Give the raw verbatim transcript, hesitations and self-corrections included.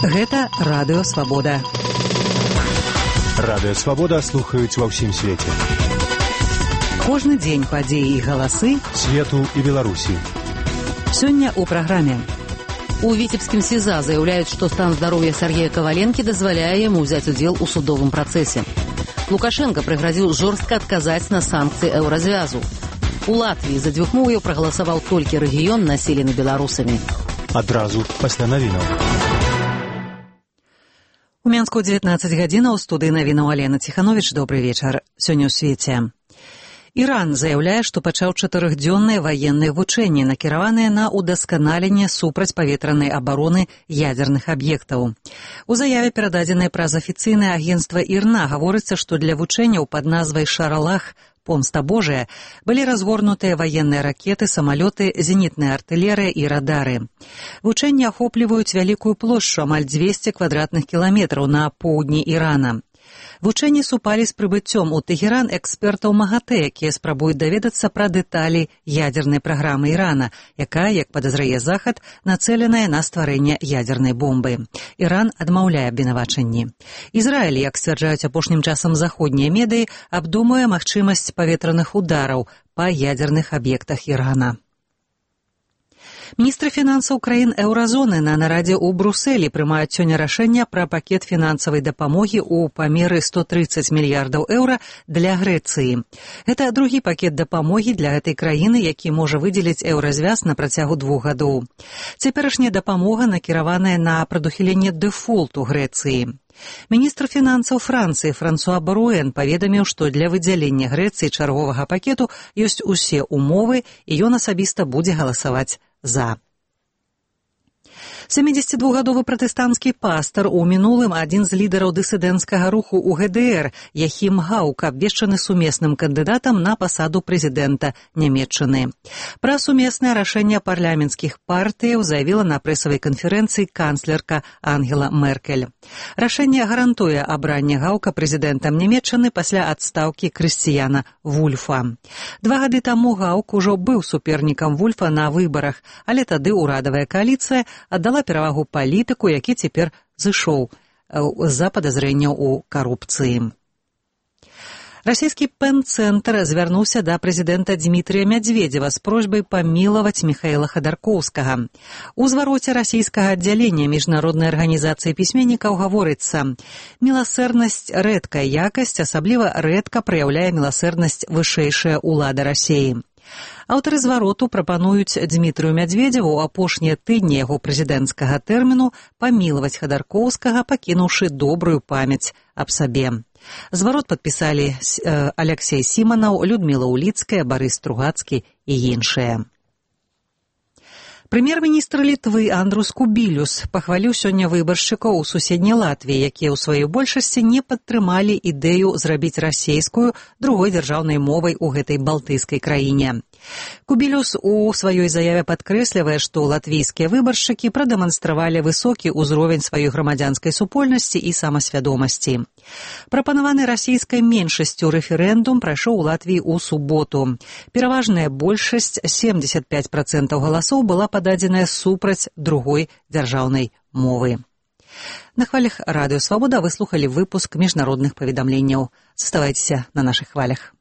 Гэта Радыё Свабода. Радыё Свабода слухаюць ва ўсім свеце. Кожны дзень падзеі і галасы свету і Беларусі. Сёння ў праграме. У Віцебскім СІЗА заяўляюць, што стан здароўя Сергея Каваленкі дазваляе яму ўзяць удзел у судовым працэсе. Лукашенко прыгразіў жорстка адказаць на санкцыі еўразвязу. У Латвіі за дзвюхмоўяў прагаласаваў толькі рэгіён, населены беларусамі. Адразу пасля навінаў. У Мінску дзевятнаццаць гадзінаў, у студыі навінаў Алена Ціхановіч. Добры вечар. Сёння ў свеце. Іран заяўляе, што пачаў чатырохдзённыя ваенныя вучэнні, накіраваныя на ўдасканаленне супрацьпаветранай абароны ядзерных аб'ектаў. У заяве, перададзенай праз афіцыйнае агенцтва ІРНА, гаворыцца, што для вучэнняў пад назвай «Шаралах» «Помста Божая» былі разгорнутыя ваенныя ракеты, самалёты, зенітная артылерыя і радары. Вучэнні ахопліваюць вялікую плошчу, амаль дзвесце квадратных кіламетраў на поўдні Ірана. Вучэнні супалі з прыбыццём у Тэхеран экспертаў МАГАТЭ, якія спрабуюць даведацца пра дэталі ядзернай праграмы Ірана, якая, як падазрае Захад, нацэленая на стварэнне ядзернай бомбы. Іран адмаўляе абвінавачанні. Ізраіль, як сцвярджаюць апошнім часам заходнія медыі, абдумуе магчымасць паветраных удараў па ядзерных аб'ектах Ірана. Міністры фінансаў краін еўразоны на нарадзе ў Брусэлі прымаюць сёння рашэнне пра пакет фінансавай дапамогі ў памеры сто трыццаць мільярдаў еўра для Грэцыі. Гэта другі пакет дапамогі для гэтай краіны, які можа выдзеліць еўразвяз на працягу двух гадоў. Цяперашняя дапамога накіраваная на прадухіленне дэфолту Грэцыі. Міністр фінансаў Францыі Франсуа Баруэн паведаміў, што для выдзялення Грэцыі чарговага пакету ёсць усе ўмовы, і ён асабіста будзе галасаваць за. сямідзесятидвухгадовы пратэстанцкі пастар, у мінулым адзін з лідараў дысідэнцкага руху ў ГДР, Яхім Гаук, абвешчаны сумесным кандыдатам на пасаду прэзідэнта Нямецчыны. Пра сумеснае рашэнне парламенцкіх партыяў заявіла на прэсавай канферэнцыі канцлерка Ангела Меркель. Рашэнне гарантуе абранне Гаука прэзідэнтам Нямецчыны пасля адстаўкі Крысціяна Вульфа. Два гады таму Гаук ужо быў супернікам Вульфа на выбарах, але тады ўрадавая кааліцыя аддала перавагу палітыку, які цяпер зышоў з-за падазрэнняў у карупцыі. Расійскі пэн-цэнтр звярнуўся да прэзідэнта Дмітрія Мядзведзева з просьбай памілаваць Міхаіла Хадаркоўскага. У звароце расійскага аддзялення міжнароднай арганізацыі пісьменнікаў гаворыцца: «Міласэрнасць – рэдкая якасць, асабліва рэдка праяўляе міласэрнасць вышэйшая ўлада Расіі». Аўтары звароту прапануюць Дмітрыю Мядзведзеву ў апошнія тыдні яго прэзідэнцкага тэрміну памілаваць Хадаркоўскага, пакінуўшы добрую памяць аб сабе. Зварот падпісалі Аляксей Сіманаў, Людміла Уліцкая, Барыс Стругацкі і іншыя. Прэм'ер-міністр Літвы Андрус Кубілюс пахваліў сёння выбаршчыкаў у суседняй Латвіі, якія ў сваёй большасці не падтрымалі ідэю зрабіць расейскую другой дзяржаўнай мовай у гэтай балтыйскай краіне. Кубілюс у сваёй заяве падкрэслівае, што латвійскія выбаршчыкі прадэманстравалі высокі ўзровень сваёй грамадзянскай супольнасці і самасвядомасці. Прапанаваны расійскай меншасцю рэферэндум прайшоў у Латвіі ў суботу. Пераважная большасць, семдзесят пяць працэнтаў галасоў, была пададзеная супраць другой дзяржаўнай мовы. На хвалях Радыё Свабода вы слухалі выпуск міжнародных паведамленняў. Заставайцеся на нашых хвалях.